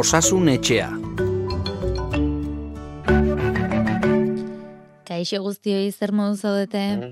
Osasun etxea. Kaixo guztioi, zer modu zaudete?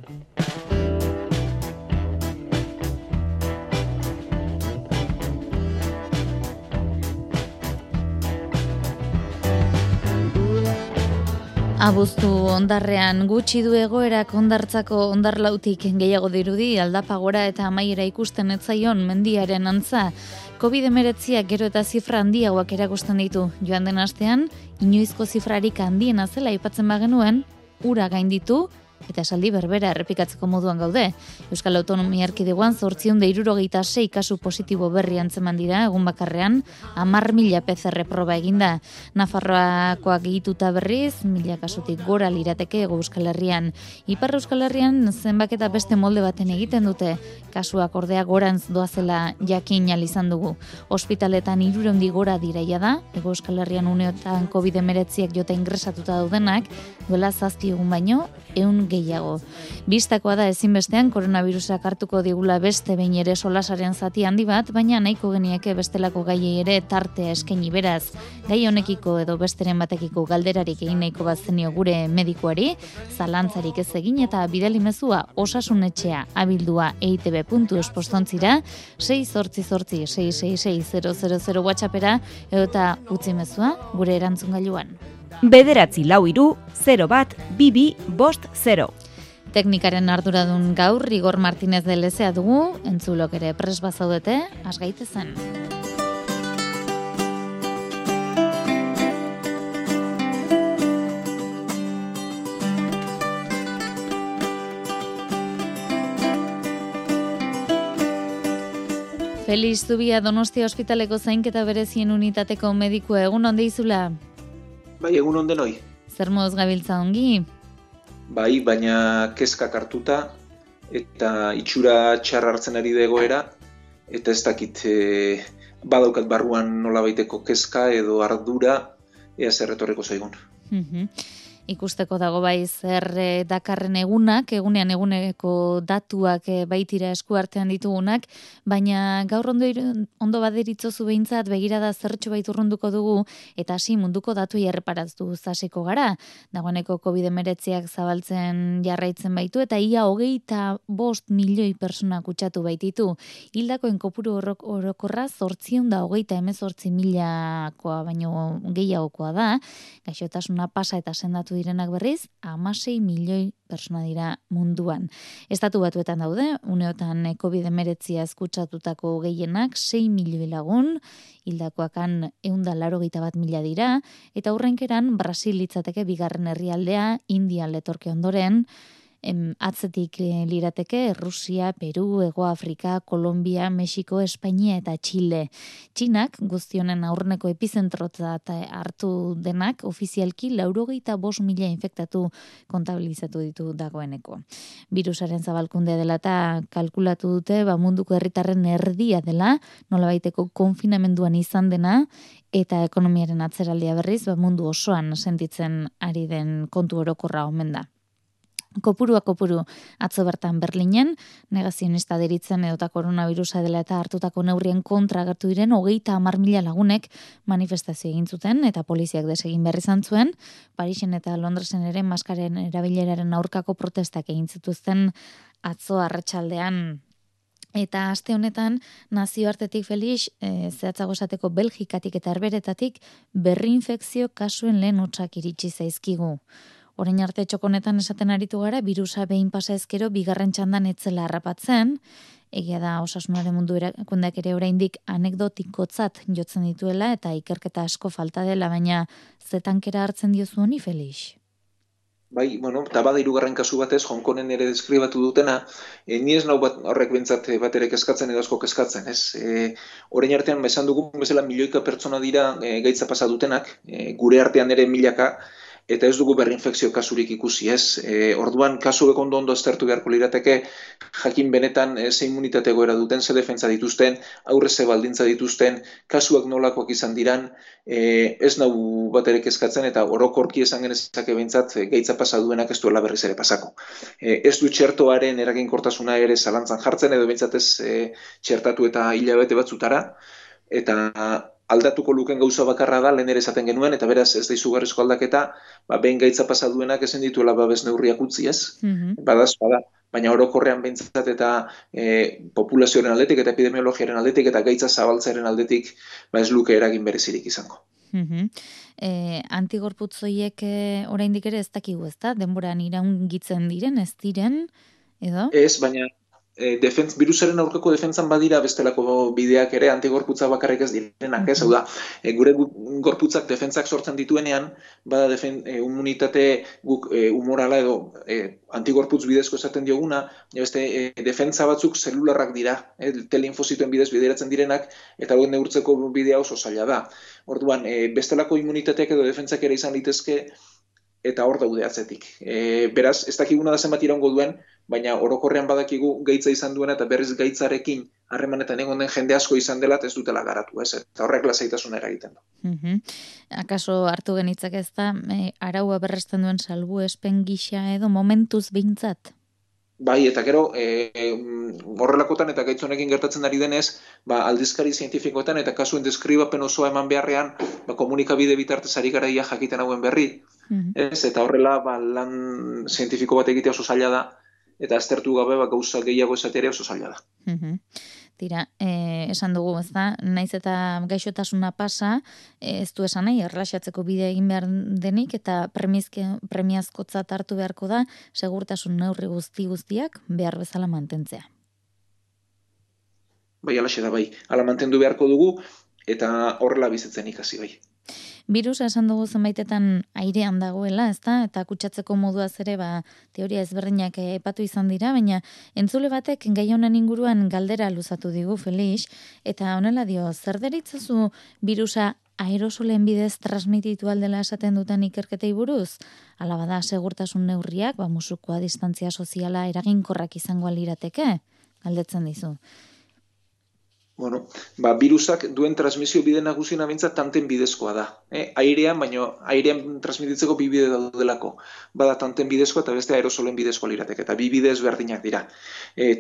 Abuztu hondarrean gutxi du egoerak hondartzako hondarlautik gehiago dirudi, aldapa gora eta amaiera ikusten etzaion mendiaren antza. COVID-19 gero eta zifra handiagoak erakusten ditu. Joan den astean, inoizko zifrarik handiena zela aipatzen bagenuen, ura gainditu eta esaldi berbera errepikatzeko moduan gaude. Euskal Autonomia Erkidegoan 866 kasu positibo berri antzeman dira egun bakarrean, 10.000 PCR proba eginda. Nafarroakoak gehituta berriz, 1.000 kasutik gora lirateke Hego Euskal Herrian. Ipar Euskal Herrian zenbaketa beste molde baten egiten dute, kasuak ordea gorantz doazela jakin ahal izan dugu. Ospitaletan 300 gora diraia da, Hego Euskal Herrian uneotan COVID-19 jota ingresatuta daudenak, duela 7 egun baino, 100 gehiago. Bistakoa da ezinbestean koronavirusak hartuko digula beste behin ere solasaren zati handi bat, baina nahiko genieke bestelako gaiei ere tartea eskaini beraz. Gai honekiko edo besteren batekiko galderarik egin nahiko bat zenio gure medikuari, zalantzarik ez egin eta bidali mezua osasunetxea abildua eitb.eus postontzira 688-666-000 WhatsAppera eta utzi mezua gure erantzungailuan. 9-0-0-1-2-2-0. Teknikaren arduradun gaur Igor Martinez de Lezea dugu, entzulok ere pres bazaudete, has gaitezen. Feliz Zubia Donostia Ospitaleko zainketa berezien unitateko medikua, egun onde izula? Bai, egun onden hoi. Zer moduz gabiltza ongi? Bai, baina kezkak hartuta eta itxura txar hartzen ari da egoera eta ez dakit badaukat barruan nolabaiteko kezka edo ardura ea zer etorreko zaigun. Ikusteko dago bai zer dakarren egunean eguneko datuak baitira esku artean ditugunak, baina gaur ondo baderitzozu behintzat begirada zertxo bait urrunduko dugu eta hasi munduko datuei erreparaztu hasiko gara. Dagoeneko COVID-19 zabaltzen jarraitzen baitu eta ia 25 milioi persona kutsatu baititu. Hildakoen kopuru orokorra 828.000 baino gehiagokoa da. Gaixotasuna pasa eta sendatu direnak berriz, 16 milioi persona dira munduan. Estatu Batuetan daude, uneotan COVID-19 kutsatutako gehienak 6 milioi lagun, hildakoakan 181.000 dira, eta hurrenkeran Brasil litzateke bigarren herrialdea, India letorke ondoren, atzetik lirateke Rusia, Peru, Hego Afrika, Kolombia, Mexiko, Espainia eta Txile. Txinak guztionen aurreneko epizentrotzat hartu denak ofizialki 85.000 infektatu kontabilizatu ditu dagoeneko. Virusaren zabalkundea dela eta kalkulatu dute munduko herritarren erdia dela, nolabaiteko konfinamenduan izan dena, eta ekonomiaren atzeraldia berriz mundu osoan sentitzen ari den kontu orokorra omen da. Kopuru atzo bertan Berlinen, negazionista deritzen edota koronavirusa dela eta hartutako neurrien kontra agertu diren 30.000 lagunek manifestazio egin zuten eta poliziak desegin behar izan zuen. Parisen eta Londresen ere maskaren erabileraren aurkako protestak egin zituzten atzo arratsaldean. Eta aste honetan nazioartetik Felix, zehatzago esateko Belgikatik eta Herberetatik berri infekzio kasuen lehen hotsak iritsi zaizkigu. Orain arte txokonetan esaten aritu gara, birusa behin pasa ezkero bigarren txandan etzela harrapatzen, egia da osasunaren mundu erakundeak ere oraindik anekdotikotzat jotzen dituela eta ikerketa asko falta dela, baina zetankera hartzen diozu honi, Felix? Bai, eta bada hirugarren kasu batez, Hongkongen ere deskribatu dutena, ni ez nau horrek bentsat bat ere kezkatzen edo asko kezkatzen, ez? Orain artean esan dugun bezala milioika pertsona dira gaitza pasa dutenak, gure artean ere milaka, eta ez dugu berrinfekzio kasurik ikusi, ez? Orduan kasuek ondo aztertu beharko lirateke, jakin benetan ze immunitate egoera duten, ze defentsa dituzten, aurre ze baldintza dituzten, kasuak nolakoak izan diran, ez nau bat ere kezkatzen eta orokorki esan genezake behintzat gaitza pasa duenak ez duela berriz ere pasako. Ez du txertoaren eraginkortasuna ere zalantzan jartzen edo behintzat ez txertatu eta hilabete batzutara, eta aldatuko luken gauza bakarra da, lehen ere esaten genuen, eta beraz ez da izugarrizko aldaketa, behin gaitza pasa duenak ezen dituela babes neurriak utzi, ez? Badaz, bada. Baina orokorrean behintzat eta populazioaren aldetik eta epidemiologiaren aldetik eta gaitza zabaltzearen aldetik ez luke eragin berezirik izango. Antigorputzoiek oraindik ere ez dakigu, ez da? Denboran iraungitzen diren, ez diren, edo? Ez, baina virusaren aurkako defentsan badira bestelako bideak ere antigorputza bakarrik ez direnak, ez? Hau da, gure gorputzak defentsak sortzen dituenean, bada immunitate guk humorala edo antigorputz bidezko esaten dioguna, beste defentsa batzuk zelularrak dira, T-linfozitoen bidez bideratzen direnak, eta hauen neurtzeko bidea oso zaila da. Orduan, bestelako immunitateak edo defentsak ere izan litezke, eta hor daude atzetik. Beraz, ez dakiguna da zenbat iraungo duen, baina orokorrean badakigu gaitza izan duena eta berriz gaitzarekin harremanetan egon den jende asko izan dela ez dutela garatu, ez? Eta horrek lasaitasuna eragiten du. Akaso hartu genitzak ez da, araua berresten duen salbuespen gisa edo momentuz behintzat? Bai, eta gero, horrelakotan eta gaitz honekin gertatzen ari denez, aldizkari zientifikoetan eta kasuen deskribapen osoa eman beharrean, komunikabide bitartez ari garaia jakiten hauen berri, ez? Eta horrela, lan zientifiko bat egitea oso zaila da, eta aztertu gabe gauza gehiago esatea oso zaila da. Tira, esan dugu, ez da, naiz eta gaixotasuna pasa, ez du esan nahi, erlaxatzeko bidea egin behar denik, eta premiazkotzat hartu beharko da, segurtasun neurri guztiak behar bezala mantentzea. Bai, alaxe da, bai. Ala mantendu beharko dugu, eta horrela bizitzen ikasi, bai. Birusa esan dugu zenbaitetan airean dagoela, ezta? Eta kutsatzeko moduaz ere, teoria ezberdinak epatu izan dira, baina entzule batek gai honen inguruan galdera luzatu digu, Felix, eta honela dio, zer deritzazu birusa aerosolen bidez transmititu aldela esaten duten ikerketei buruz? Hala bada segurtasun neurriak, musukoa distantzia soziala eraginkorrak izango alirateke? Galdetzen dizu. Bueno, virusak duen transmisio bide nagusina behintzat tanten bidezkoa da. Airean, baina airean transmititzeko bi bide daudelako. Bada tanten bidezkoa eta beste aerosolen bidezkoa lirateke, eta bi bidez berdinak dira.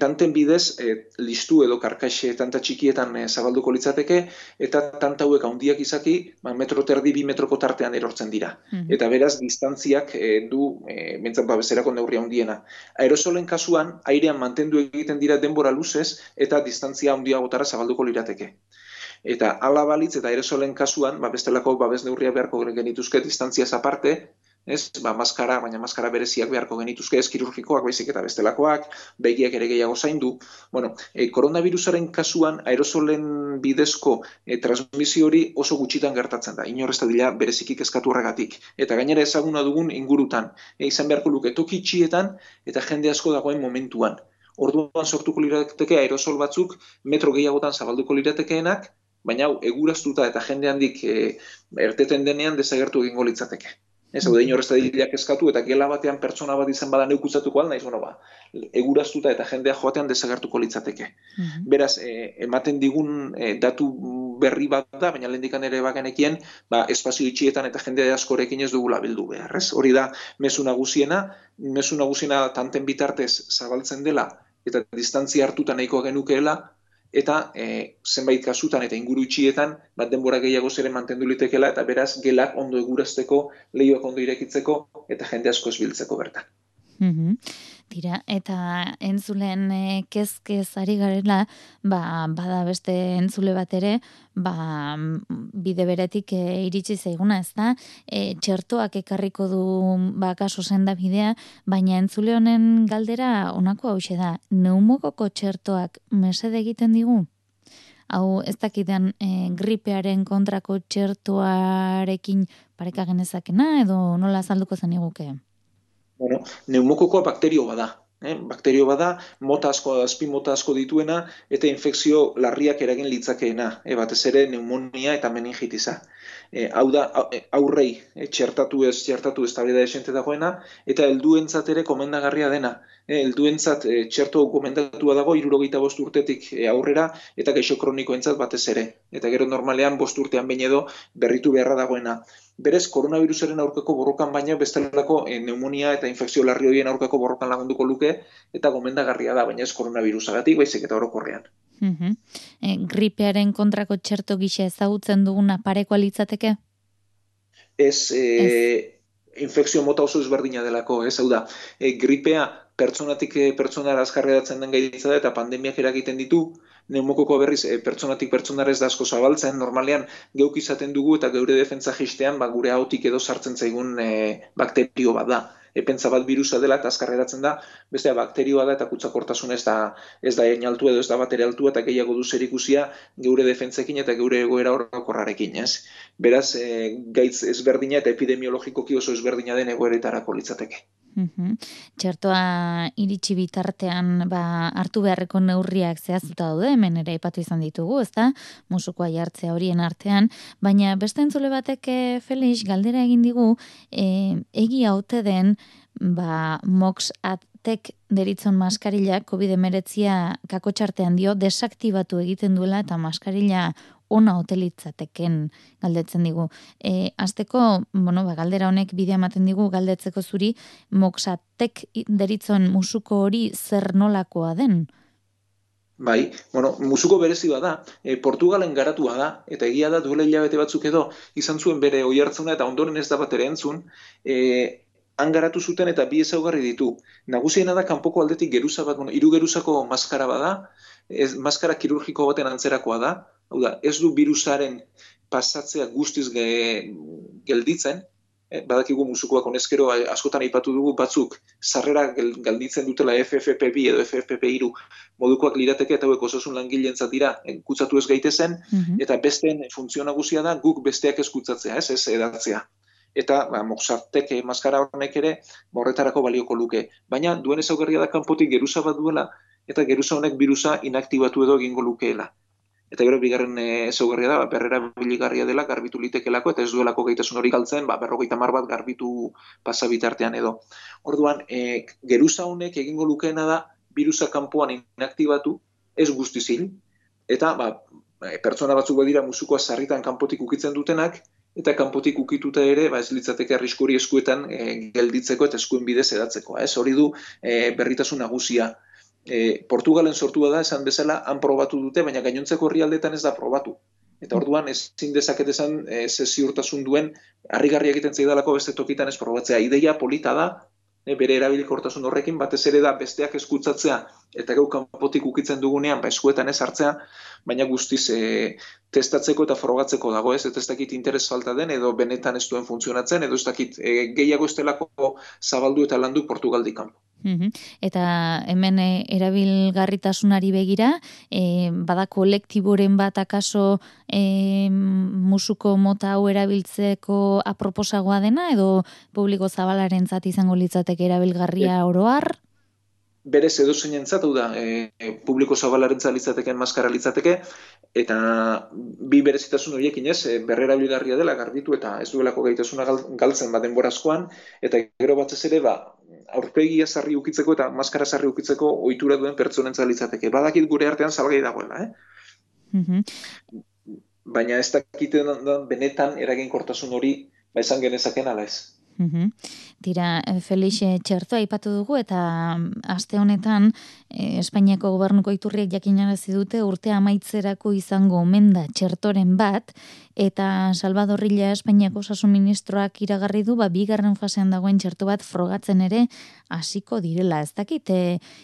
Tanten bidez, listu edo karkaxe tanta txikietan zabalduko litzateke, eta tanta hauek handiak izaki, metro terdi, 2 metroko tartean erortzen dira. Eta beraz, distantziak du, behintzat bezerako neurria handiena. Aerosolen kasuan, airean mantendu egiten dira denbora luzez, eta distantzia handiagotara zabalduko lirateke. Eta hala balitz eta aerosolen kasuan, bestelako babes neurria beharko genituzke distantziaz aparte, maskara, baina maskara bereziak beharko genituzke, ez kirurgikoak baizik eta bestelakoak, begiak ere gehiago zaindu. Koronavirusaren kasuan aerosolen bidezko transmisio hori oso gutxitan gertatzen da, inorrez da dira bereziki kezkatu horregatik. Eta gainera ezaguna dugun ingurutan, izan beharko luke toki itxietan eta jende asko dagoen momentuan. Orduan sortuko lirateke aerosol batzuk metro gehiagotan zabalduko liratekeenak, baina eguraztuta eta jende handik erteten denean desagertu egingo litzateke. Ez hau da inorrez da dilak eskatu eta gela batean pertsona bat izan bada neukutzatuko alda, eguraztuta eta jendea joatean desagertuko litzateke. Beraz, ematen digun datu berri bat da, baina lehendikan ere bagenekien, espazio itxietan eta jende askorekin ez dugula bildu behar. Hori da, mezu nagusiena tanten bitartez zabaltzen dela, eta distantzia hartuta nahikoa genukeela, eta zenbait kasutan eta inguru itxietan denbora gehiago zere mantendu litekela, eta beraz gelak ondo egurazteko, lehioak ondo irekitzeko, eta jende asko ez biltzeko bertan. Tira, eta entzulen kezkez ari garela, bada beste entzule bat ere, bide beretik iritsi zaiguna, ez da? Txertoak ekarriko du kaso senda bidea, baina entzule honen galdera honako hauxe da, neumokoko txertoak mesede egiten digu? Hau ez dakidan gripearen kontrako txertoarekin pareka genezakena, edo nola azalduko zen iguke? Neumokokoa bakterio bada. Bakterio bada, azpi mota asko dituena, eta infekzio larriak eragin litzakeena, batez ere pneumonia eta meningitisa. Hau da, aurrei txertatu ez tablida esente dagoena, eta helduentzat ere komendagarria dena. Helduentzat txerto komendatua dago 65 urtetik aurrera, eta gaixo kronikoentzat batez ere. Eta gero normalean 5 urtean behin edo berritu beharra dagoena. Berez, koronavirusaren aurkako borrokan baina bestelako pneumonia eta infekzio larri horien aurkako borrokan lagunduko luke, eta gomendagarria da, baina ez koronavirusagatik, baizik eta orokorrean. Gripearen kontrako txerto gisa ezagutzen duguna parekoa litzateke? Ez, infekzio mota oso ezberdina delako, ez, hau da, gripea pertsonatik pertsonara azkarredatzen den gaitza da, eta pandemiak eragiten ditu, neumokoko berriz pertsonatik pertsonara ez da asko zabaltzen, normalean geuk izaten dugu eta geure defentza jistean gure ahotik edo sartzen zaigun bakterio bat da. Pentsa bat virusa dela eta azkarreratzen da, bestea bakterioa da eta kutsakortasuna ez da altua edo ez da batere altua eta gehiago du zerikusia geure defentzekin eta geure egoera orokorrarekin, ez? Beraz, gaitz ezberdina eta epidemiologikoki oso ezberdina den egoeretarako litzateke. Txertoa iritsi bitartean hartu beharreko neurriak zehaztuta daude, hemen ere aipatu izan ditugu, ezta? Musukoa jartzea horien artean, baina beste entzule batek Felix galdera egin digu, egia ote den Mox-Atek deritzon maskarila COVID-19 kakotxartean dio desaktibatu egiten duela eta maskarila ona hotelitzateken galdetzen digu. Azteko, galdera honek bidea ematen digu galdetzeko zuri, Mox-Atek deritzon musuko hori zer nolakoa den? Bai, musuko berezi bada, Portugalen garatua da, eta egia da duela hilabete batzuk edo izan zuen bere oihartzuna eta ondoren ez da bat ere entzun, han garatu zuten eta bi ezaugarri ditu. Nagusiena da kanpoko aldetik geruza bat, hiru geruzako maskara bada, maskara kirurgiko baten antzerakoa da, hau da, ez du virusaren pasatzea guztiz gelditzen, badakigu musukoak honezkero askotan aipatu dugu batzuk sarrera galditzen dutela FFP2 edo FFP3 modukoak lirateke eta hauek osasun langileentzat dira kutsatu ez gaitezen, eta besteen funtzio nagusia da guk besteak ez kutsatzea, ez edatzea. Eta Mox-Atek maskara honek ere horretarako balioko luke. Baina duen ezaugarria da kanpotik geruza bat duela eta geruza honek virusa inaktibatu edo egingo lukeela. Eta gero bigarren ezaugarria da, berrera biligarria dela, garbitu litekelako, eta ez duelako gaitasun hori galtzen, 50 bat garbitu pasabitartean edo. Orduan, geruza honek egingo lukeena da, virusa kanpoan inaktibatu, ez guztiz hil, eta pertsona batzuk badira musukoa sarritan kanpotik ukitzen dutenak, eta kanpotik ukituta ere, ez litzateke arriskuri eskuetan gelditzeko eta eskuen bidez edatzeko. Hori du berritasun nagusia. Portugalen sortua da, esan bezala, han probatu dute, baina gainontzeko herrialdetan ez da probatu. Eta orduan ezin dezaket esan ziurtasun duen harrigarria egiten zaidalako beste tokitan ez probatzea. Ideia polita da, bere erabilikortasun horrekin, batez ere da besteak eskutsatzea eta gau kanpotik ukitzen dugunean eskuetan ez hartzea, baina guztiz testatzeko eta frogatzeko dago, ez dakit interes falta den edo benetan ez duen funtzionatzen, edo ez dakit gehiago estelako zabaldu eta landu Portugaldik kanpo. Eta hemen erabilgarritasunari begira, bada kolektiboren bat akaso musuko mota hau erabiltzeko aproposagoa dena, edo publiko zabalarentzat izango litzateke erabilgarria oroar? Berez edozeinentzat, hau da, publiko zabalarentzat litzateken maskara litzateke, eta bi berezitasun horiekin berrerabilgarria dela garbitu eta ez duelako gaitasuna galtzen denbora askoan, eta gero batez ere aurpegia sarri ukitzeko eta maskara sarri ukitzeko ohitura duen pertsonentzat litzateke. Badakit gure artean salgai dagoela, Baina ez dakiten benetan eraginkortasun hori esan genezaken ala ez. Tira, Felix, txertoa aipatu dugu eta aste honetan Espainiako gobernuko iturriek jakinarazi dute urtea amaitzerako izango omen da txertoren bat, eta Salvador Illa Espainiako osasun ministroak iragarri du bigarren fasean dagoen txerto bat frogatzen ere hasiko direla. Ez dakit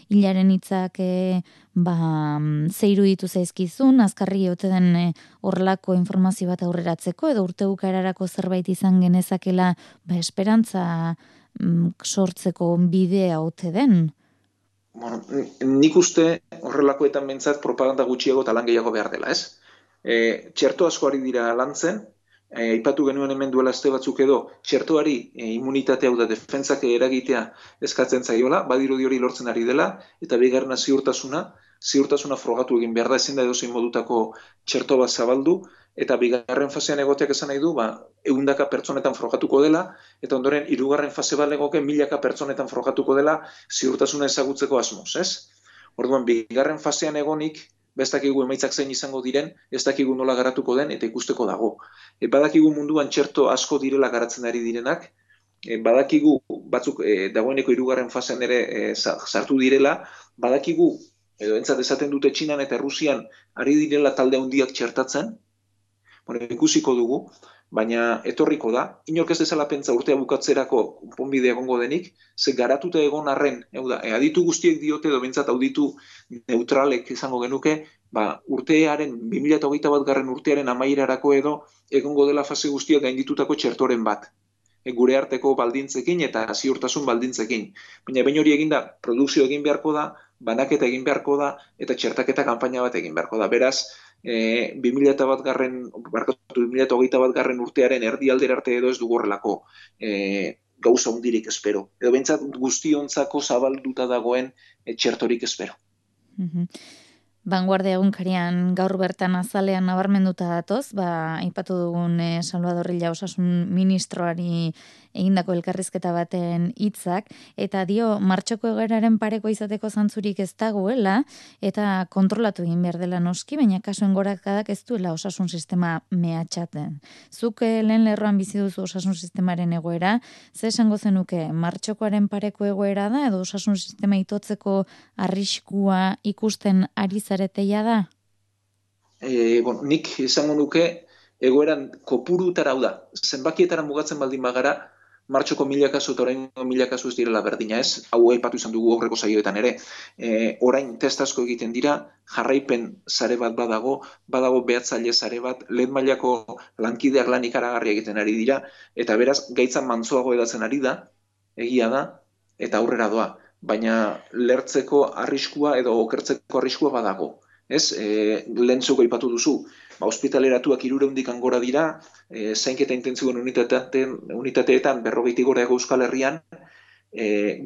Illaren hitzak ze iruditu zaizkizun, azkarri ote den horrelako informazio bat aurreratzeko edo urte bukaerarako zerbait izan genezakela esperantza sortzeko bidea ote den? Nik uste horrelakoetan behintzat propaganda gutxiago eta lan gehiago behar dela, ez? Txerto asko ari dira lantzen, aipatu genuen hemen duela aste batzuk edo, txertoari immunitatea hau da defentzak eragitea eskatzen zaiola, badirudi hori lortzen ari dela, eta bigarrena ziurtasuna frogatu egin behar da, ezin da edozein modutako txerto bat zabaldu, eta bigarren fasean egoteak esan nahi du, 100 pertsonetan frogatuko dela, eta ondoren hirugarren fase bat legoke 1000 pertsonetan frogatuko dela ziurtasuna ezagutzeko asmoz, ez? Orduan, bigarren fasean egonik, ez dakigu emaitzak zein izango diren, ez dakigu nola garatuko den, eta ikusteko dago. Badakigu munduan txerto asko direla garatzen ari direnak, badakigu batzuk dagoeneko hirugarren fasean ere sartu direla, badakigu edo entzat esaten dute Txinan eta Errusian ari direla talde handiak txertatzen, ikusiko dugu, baina etorriko da, inork ez dezala pentsa urtea bukatzerako konponbidea egongo denik, ze garatuta egon arren, aditu guztiek diote edo bentsat auditu neutralek izango genuke, urtearen 2021 garren urtearen amaierarako edo egongo dela fase guztiak gainditutako txertoren bat. Gure arteko baldintzekin eta ziurtasun baldintzekin. Baina behin hori eginda, produkzio egin beharko da, banaketa egin beharko da, eta txertaketa kanpaina bat egin beharko da. Beraz, 2021 garren urtearen erdialdera arte edo ez dugu horrelako gauza hundirik espero. Edo bentsat guztiontzako zabalduta dagoen txertorik espero. Vanguardia egunkarian gaur bertan azalean nabarmenduta datoz, aipatu dugun Salvador Illa osasun ministroari egindako elkarrizketa baten hitzak, eta dio martxoko egoeraren pareko izateko zantzurik ez dagoela, eta kontrolatu egin behar dela noski, baina kasuen gorakadak ez duela osasun sistema mehatxaten. Zuk lehen lerroan bizi duzu osasun sistemaren egoera, ze esango zenuke martxokoaren pareko egoera da, edo osasun sistema itotzeko arriskua ikusten ari zareteia da? Nik izango nuke egoeran kopurutara da. Zenbakietara mugatzen baldin bagara, martxoko 1000 kasu eta orain 1000 kasu ez direla berdina ez. Hau aipatu izan dugu aurreko saioetan ere. Orain test asko egiten dira, jarraipen sare bat badago behatzaile sare bat, lehen mailako lankideak lan ikaragarria egiten ari dira, eta beraz gaitzan mantsoago edatzen ari da, egia da, eta aurrera doa. Baina lertzeko arriskua edo okertzeko arriskua badago. Ez? Lehen zuko aipatu duzu, ospitaleratuak 300 gora dira, zainketa intentsiboen unitateetan 40 gora ego Euskal Herrian,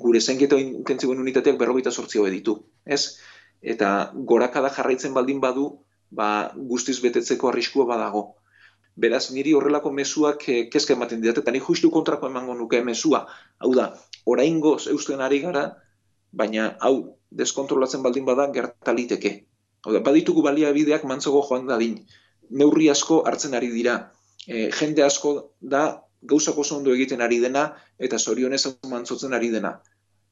gure zainketa intentsiboen unitateak 48 ditu. Ez? Eta gorakada jarraitzen baldin badu, guztiz betetzeko arriskua badago. Beraz, niri horrelako mezuak kezka ematen didate, eta ni justu kontrako emango nuke mezua. Hau da, oraingoz eusten ari gara, baina hau deskontrolatzen baldin bada gertaliteke. Baditugu baliabideak mantsogo joan dadin. Neurri asko hartzen ari dira. Jende asko da gauzak oso ondo egiten ari dena eta zorionez mantsotzen ari dena.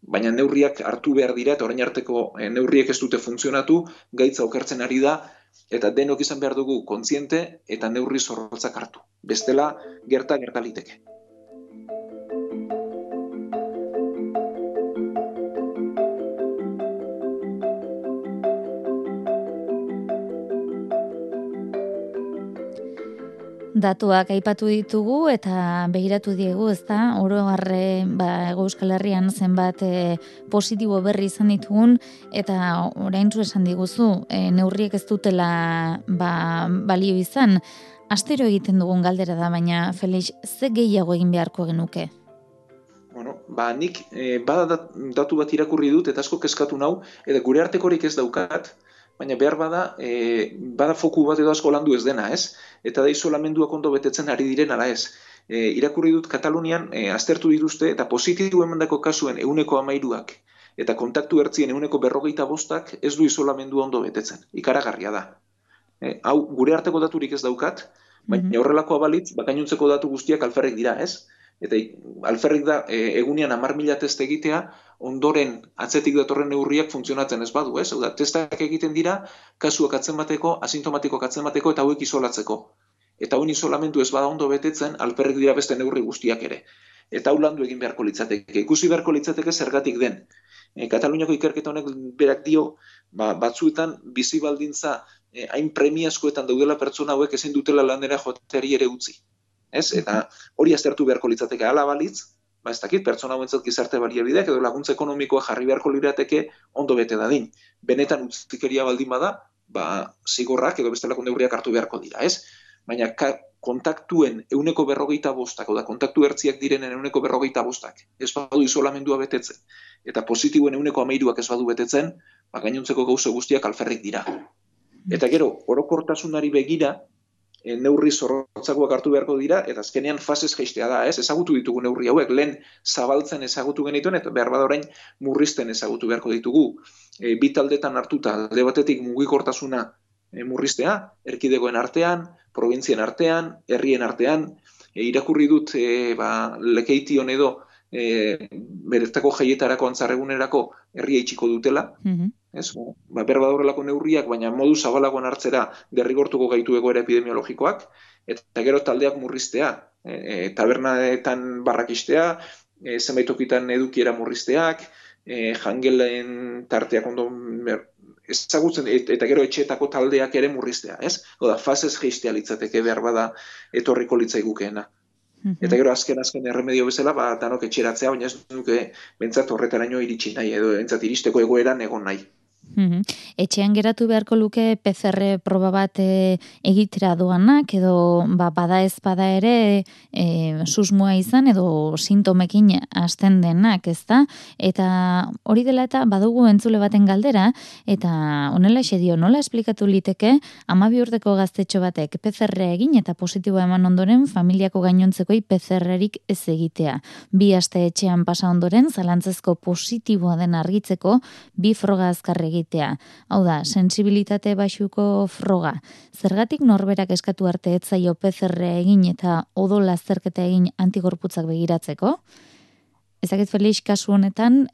Baina neurriak hartu behar dira eta orain arteko neurriek ez dute funtzionatu, gaitza okertzen ari da eta denok izan behar dugu kontziente eta neurri zorrotzak hartu. Bestela gertaliteke. Datuak aipatu ditugu eta begiratu diegu, ezta? Oro harre, Euskal Herrian zenbat positibo berri izan ditugun eta oraintsu esan diguzu, neurriek ez dutela balio izan. Astero egiten dugun galdera da, baina Felix, ze gehiago egin beharko genuke? Nik bada datu bat irakurri dut eta asko kezkatu nau, eta gure artekorik ez daukat, baina behar bada foku bat edo asko landu ez dena, ez? Eta da isolamenduak ondo betetzen ari diren ala ez. Irakurri dut Katalunian aztertu dituzte eta positibo emandako kasuen 13%ak eta kontaktu ertzien 45%ak ez du isolamendua ondo betetzen. Ikaragarria da. Hau gure arteko daturik ez daukat, baina horrelakoa balitz, gainontzeko datu guztiak alferrik dira, ez? Eta alferrik da egunean 10.000 test egitea, ondoren atzetik datorren neurriak funtzionatzen ez badu, ez? Testak egiten dira, kasuak atzemateko, asintomatikoak atzemateko eta hauek isolatzeko. Eta hauen isolamendu ez bada ondo betetzen, alferrik dira beste neurri guztiak ere. Eta hau landu egin beharko litzateke. Ikusi beharko litzateke zergatik den. Kataluniako ikerketa honek berak dio, batzuetan bizi baldintza hain premiazkoetan daudela pertsona hauek ezin dutela lanera joateari ere utzi. Ez? Eta hori aztertu beharko litzateke hala balitz, ez dakit, pertsona hauentzat gizarte baliabideak edo laguntza ekonomikoa jarri beharko lirateke ondo bete dadin. Benetan utzikeria baldin bada, zigorrak edo bestelako neurriak hartu beharko dira, ez? Baina kontaktuen 45%, da kontaktu ertziak direnen 45%, ez badu isolamendua betetzen, eta positiboen 13%ak ez badu betetzen, gainontzeko gauza guztiak alferrik dira. Eta gero, orokortasunari begira, neurri zorrotzakoak hartu beharko dira, eta azkenean fasez jaistea da, ez? Ezagutu ditugu neurri hauek, lehen zabaltzen ezagutu genituen, eta behar bada orain murrizten ezagutu beharko ditugu. Bi taldetan hartuta, alde batetik mugikortasuna murriztea, erkidegoen artean, probintzien artean, herrien artean, irakurri dut Lekeition edo beretako jaietarako antzarregunerako herria itxiko dutela, ez? Berba horrelako neurriak, baina modu zabalagoan hartzera derrigortuko gaitu egoera epidemiologikoak, eta gero taldeak murriztea, tabernaetan barrakistea, zenbait tokitan edukiera murrizteak, jangelen tarteak ondo ezagutzen, eta gero etxeetako taldeak ere murriztea, ez? Oda, fasez geistea litzateke behar bada etorriko litzaigukeena. Eta gero azken erremedio bezala, danok etxeratzea, baina ez duke bentsat horretaraino iritsi nahi, edo bentsat iristeko egoeran egon nahi. Etxean geratu beharko luke PCR proba bat egitera doanak, edo bada ez bada ere susmoa izan, edo sintomekin hasten denak, ezta? Eta hori dela eta badugu entzule baten galdera, eta honela dio, nola esplikatu liteke 12 urteko gaztetxo batek PCR egin eta positiboa eman ondoren familiako gainontzekoi PCR-erik ez egitea. 2 aste etxean pasa ondoren, zalantzezko positiboa den argitzeko 2 froga azkarre egitea. Hau da, sensibilitate baxuko froga. Zergatik norberak eskatu arte ez zaio PCR egin eta odol azterketa egin antigorputzak begiratzeko? Ezakit Felix kasu honetan,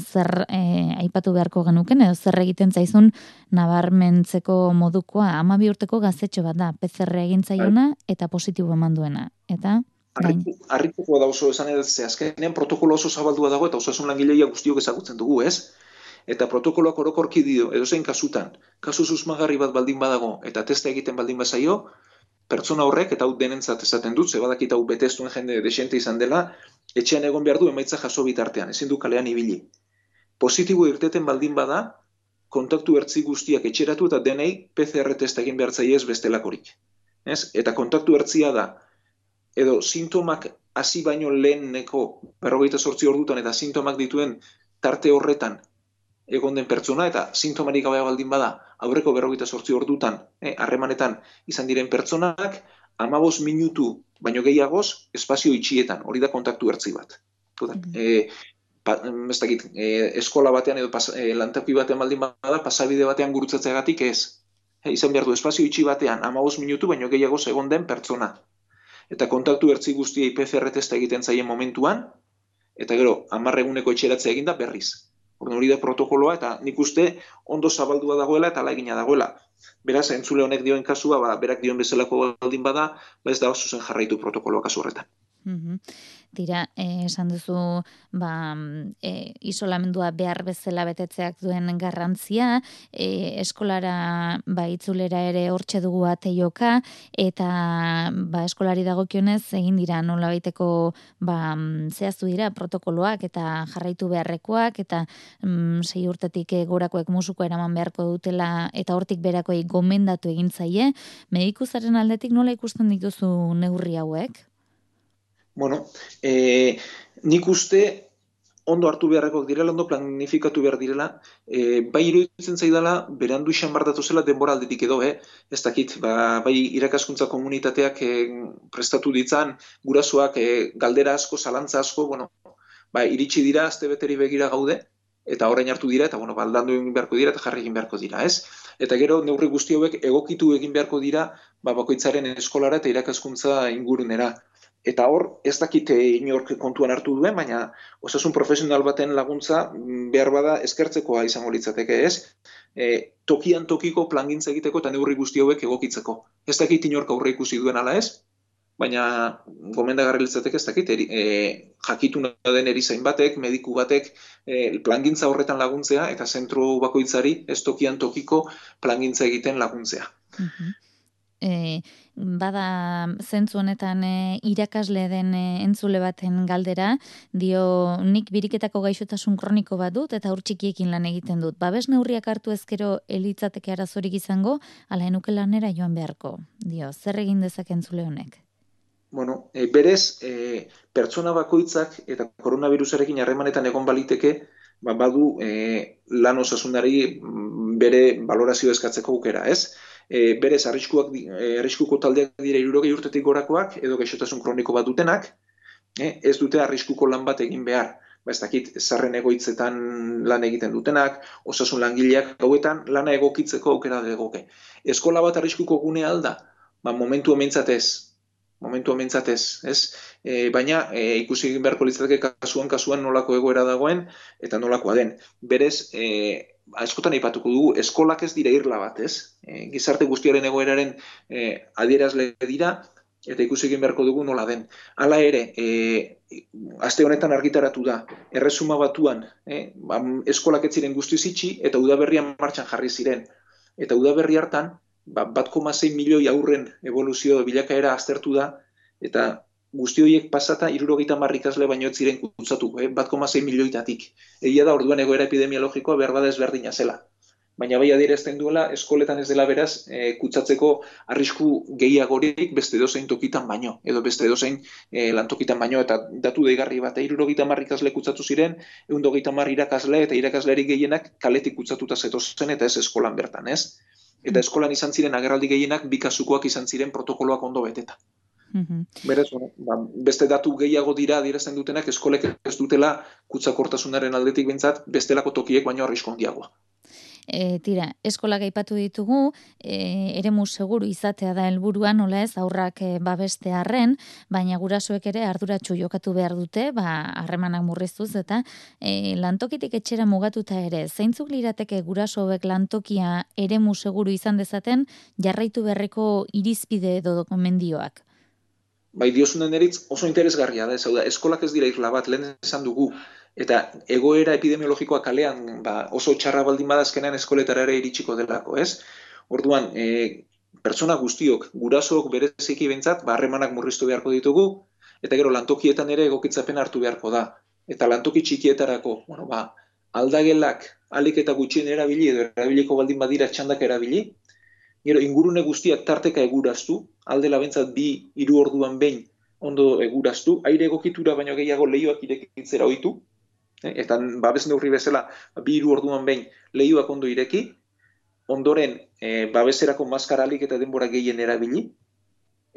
zer aipatu beharko genuken, edo zer egiten zaizun nabarmentzeko modukoa, 12 urteko gaztetxo bat da, PCR egin zaiona eta positibo eman duena. Eta Harrituko da oso esan edo azkenean protokolo oso zabaldua dago eta osasun langileia guztiok ezagutzen dugu, ez? Eta protokoloak orokorki dio, edozein kasutan, kasu susmagarri bat baldin badago eta testa egiten baldin bazaio, pertsona horrek, eta hau denentzat esaten dut, zebadakit hau betestuen jende desente izan dela, etxean egon behar du emaitza jaso bitartean, ezin du kalean ibili. Positibo irteten baldin bada, kontaktu ertzi guztiak etxeratu eta denei PCR testa egin behar zaie ez bestelakorik. Ez? Eta kontaktu ertzia da, edo sintomak hasi baino leheneko 48 ordutan eta sintomak dituen tarte horretan egon den pertsona, eta sintomarik gabe baldin bada, aurreko 48 ordutan, harremanetan izan diren pertsonak, 15 minutu baino gehiagoz, espazio itxietan, hori da kontaktu ertzi bat. Eskola batean edo lantoki batean baldin bada, pasabide batean gurutzatzeagatik ez. Izan behar du, espazio itxi batean, 15 minutu baino gehiagoz egon den pertsona. Eta kontaktu ertzi guztiei PCR testa egiten zaien momentuan, eta gero, 10 eguneko etxeratzea eginda berriz. Hori da protokoloa, eta nik uste ondo zabaldua dagoela eta alaigina dagoela. Beraz, entzule honek dioen kasua, berak dioen bezalako baldin bada, ez da oso zen jarraitu protokoloa kasu horretan. Tira, esan duzu isolamendua behar bezala betetzeak duen garrantzia, eskolara itzulera ere hortxe dugu ateioka, eta eskolari dagokionez egin dira nolabaiteko zehaztu dira protokoloak eta jarraitu beharrekoak, eta 6 urtetik gorakoek musuko eraman beharko dutela, eta hortik berakoei gomendatu egin zaie. Medikuzaren aldetik nola ikusten dituzu neurri hauek? Bueno, nik uste ondo hartu beharrekoak direla, ondo planifikatu behar direla, bai iruditzen zaidala, berandu izan bardatu zela denbora aldetik edo, ez dakit, bai irakaskuntza komunitateak prestatu ditzan, gurasoak galdera asko, zalantza asko, iritsi dira, azte beteri begira gaude, eta orain hartu dira, eta aldandu egin beharko dira, eta jarri egin beharko dira, ez? Eta gero neurri guzti hauek egokitu egin beharko dira, bakoitzaren eskolara eta irakaskuntza ingurunera. Eta hor, ez dakite inork kontuan hartu duen, baina osasun profesional baten laguntza behar bada eskertzekoa izango litzateke, ez? Tokian tokiko plangintza egiteko eta neurri guzti hauek egokitzeko. Ez dakit inork aurre ikusi duen ala ez, baina gomendagarri litzateke ez dakit, jakituna den erizain batek, mediku batek plangintza horretan laguntzea eta zentro bakoitzari ez tokian tokiko plangintza egiten laguntzea. Bada zentzu honetan irakasle den entzule baten galdera, dio nik biriketako gaixotasun kroniko bat dut eta hor txikiekin lan egiten dut. Babes neurriak hartu ezkero elitzateke arazorik izango, ala enuke lanera joan beharko. Dio, zer egin dezake entzule honek? Bueno, berez, pertsona bakoitzak eta koronavirusarekin harremanetan egon baliteke, badu lan osasunari bere valorazio eskatzeko aukera, ez? Berez, arriskuko taldeak dira 60 urtetik gorakoak, edo gaixotasun kroniko bat dutenak, ez dute arriskuko lan bat egin behar. Ez dakit, zarren egoitzetan lan egiten dutenak, osasun langileak gauetan lana egokitzeko aukera egoke. Eskola bat arriskuko gunea alda, momentu hementzat ez. momentu mentzatez, ez? Baina ikusi egin beharko litzateke kasuan nolako egoera dagoen eta nolakoa den. Berez, askotan aipatuko dugu, eskolak ez dira irla bat, ez? Gizarte guztiaren egoeraren adierazle dira, eta ikusi egin beharko dugu nola den. Hala ere, aste honetan argitaratu da, Erresuma Batuan, eskolak ez ziren guztiz itxi, eta udaberrian martxan jarri ziren. Eta udaberri hartan, 1,6 milioi aurren evoluzio bilakaera aztertu da, eta guzti horiek pasata 70 ikasle baino ez ziren kutsatu, 1,6 milioitatik. Egia da orduan egoera epidemiologikoa behar bada ezberdina zela. Baina bai adierazten duela, eskoletan ez dela beraz, kutsatzeko arrisku gehiagorik beste edozein tokitan baino, edo beste edozein lantokitan baino, eta datu deigarri bat, 70 ikasle kutsatu ziren, 130 irakasle eta irakaslerik gehienak kaletik kutsatuta zetozen eta ez eskolan bertan, ez? Eta eskolan izan ziren agerraldi gehienak bi kasukoak izan ziren protokoloak ondo beteta. Beraz, beste datu gehiago dira adierazten dutenak eskolek ez dutela kutsakortasunaren aldetik behintzat bestelako tokiek baino arrisku handiagoa. Tira, eskolak aipatu ditugu, eremu seguru izatea da helburua, nola ez, aurrak babestearren, baina gurasoek ere arduratsu jokatu behar dute, harremanak murriztuz, eta lantokitik etxera mugatuta ere, zeintzuk lirateke guraso hauek lantokia eremu seguru izan dezaten, jarraitu beharreko irizpide edo dokumendioak? Bai, diozunen eritz oso interesgarria da, da, eskolak ez dira irla bat, lehen esan dugu, eta egoera epidemiologikoa kalean oso txarra baldin badazkenean eskoletara ere iritsiko delako, ez? Orduan, pertsona guztiok, gurasook bereziki behintzat, harremanak murriztu beharko ditugu, eta gero lantokietan ere egokitzapen hartu beharko da. Eta lantoki txikietarako, aldagelak alik eta gutxien erabili, edo erabiliko baldin badira txandak erabili, gero ingurune guztiak tarteka eguraztu, aldela behintzat 2-3 orduan behin ondo eguraztu, aire egokitura baino gehiago leihoak irekitzera ohitu, eta babes neurri bezala 2-3 orduan behin leihoak ondo ireki, ondoren babeserako maskaralik eta denbora gehien erabili,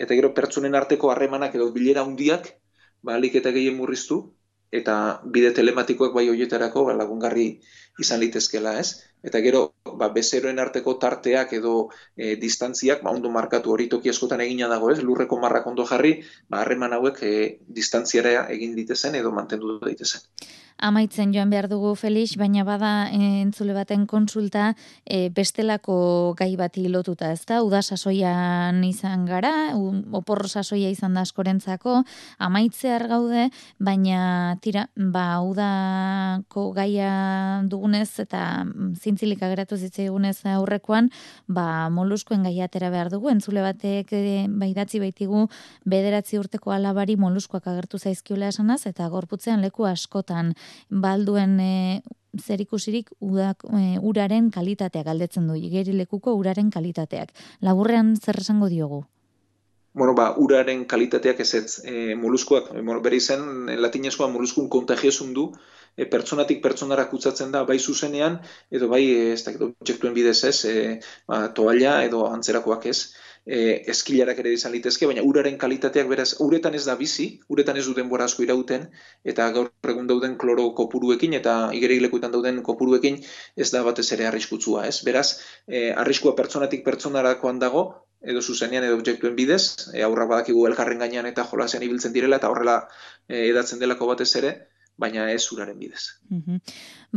eta gero pertsonen arteko harremanak edo bilera handiak alik eta gehien murriztu, eta bide telematikoak bai horietarako lagungarri izan litezkela, ez? Eta gero, bezeroen arteko tarteak edo distantziak, ondo markatu hori toki askotan egina dago, ez? Lurreko marrak ondo jarri, harreman hauek distantziara egin ditezen edo mantendu daitezen. Amaitzen joan behar dugu, Felix, baina bada entzule baten konsulta bestelako gai bati lotuta, ezta? Uda sasoian izan gara, oporro sasoia izan da askorentzako, amaitzear gaude, baina tira, udako gaia dugunez eta zintzilik ageratu zitzaigunez aurrekoan, moluskuen gaia atera behar dugu, entzule batek idatzi baitigu 9 urteko alabari moluskuak agertu zaizkiola esanaz, eta gorputzean leku askotan balduen zerikusirik uraren kalitateak galdetzen du, igerilekuko uraren kalitateak. Laburrean zer esango diogu? Uraren kalitateak ez moluskuak, bere izen latinezkoa moluskun kontagiosun du, pertsonatik pertsonara kutsatzen da, bai zuzenean, edo bai objektuen bidez ez, toalla edo antzerakoak ez, eskilarak ere izan litezke, baina uraren kalitateak beraz, uretan ez da bizi, uretan ez du denbora asko irauten, eta gaur egun dauden kloro kopuruekin eta igerilekuetan dauden kopuruekin ez da batez ere arriskutsua, ez? Beraz, arriskua pertsonatik pertsonarakoan dago, edo zuzenean edo objektuen bidez, aurrak badakigu elkarren gainean eta jolasean ibiltzen direla, eta horrela edatzen delako batez ere, baina ez uraren bidez.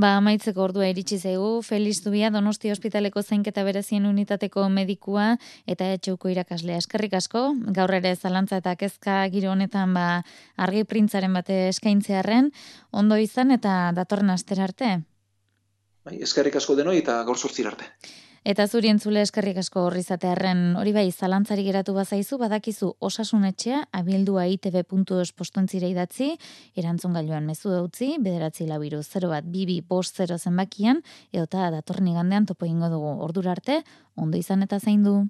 Amaitzeko ordua iritsi zaigu, Felix Zubia, Donostia Ospitaleko zainketa berezien unitateko medikua eta etxeuko irakaslea. Eskerrik asko, gaur ere zalantza eta kezka giro honetan argi printzaren bate eskaintzearren, ondo izan eta datorren astera arte. Eskerrik asko denoi eta gaur 8 arte. Eta zuri entzule eskerrik asko horri izatearren, hori bai, zalantzari geratu bazaizu, badakizu Osasun Etxea, abildua itb.eus postontzira idatzi, erantzun gailuan mezu utzi, 942-01-22 zenbakian, edota datorren igandean topo egingo dugu. Ordura arte, ondo izan eta zaindu.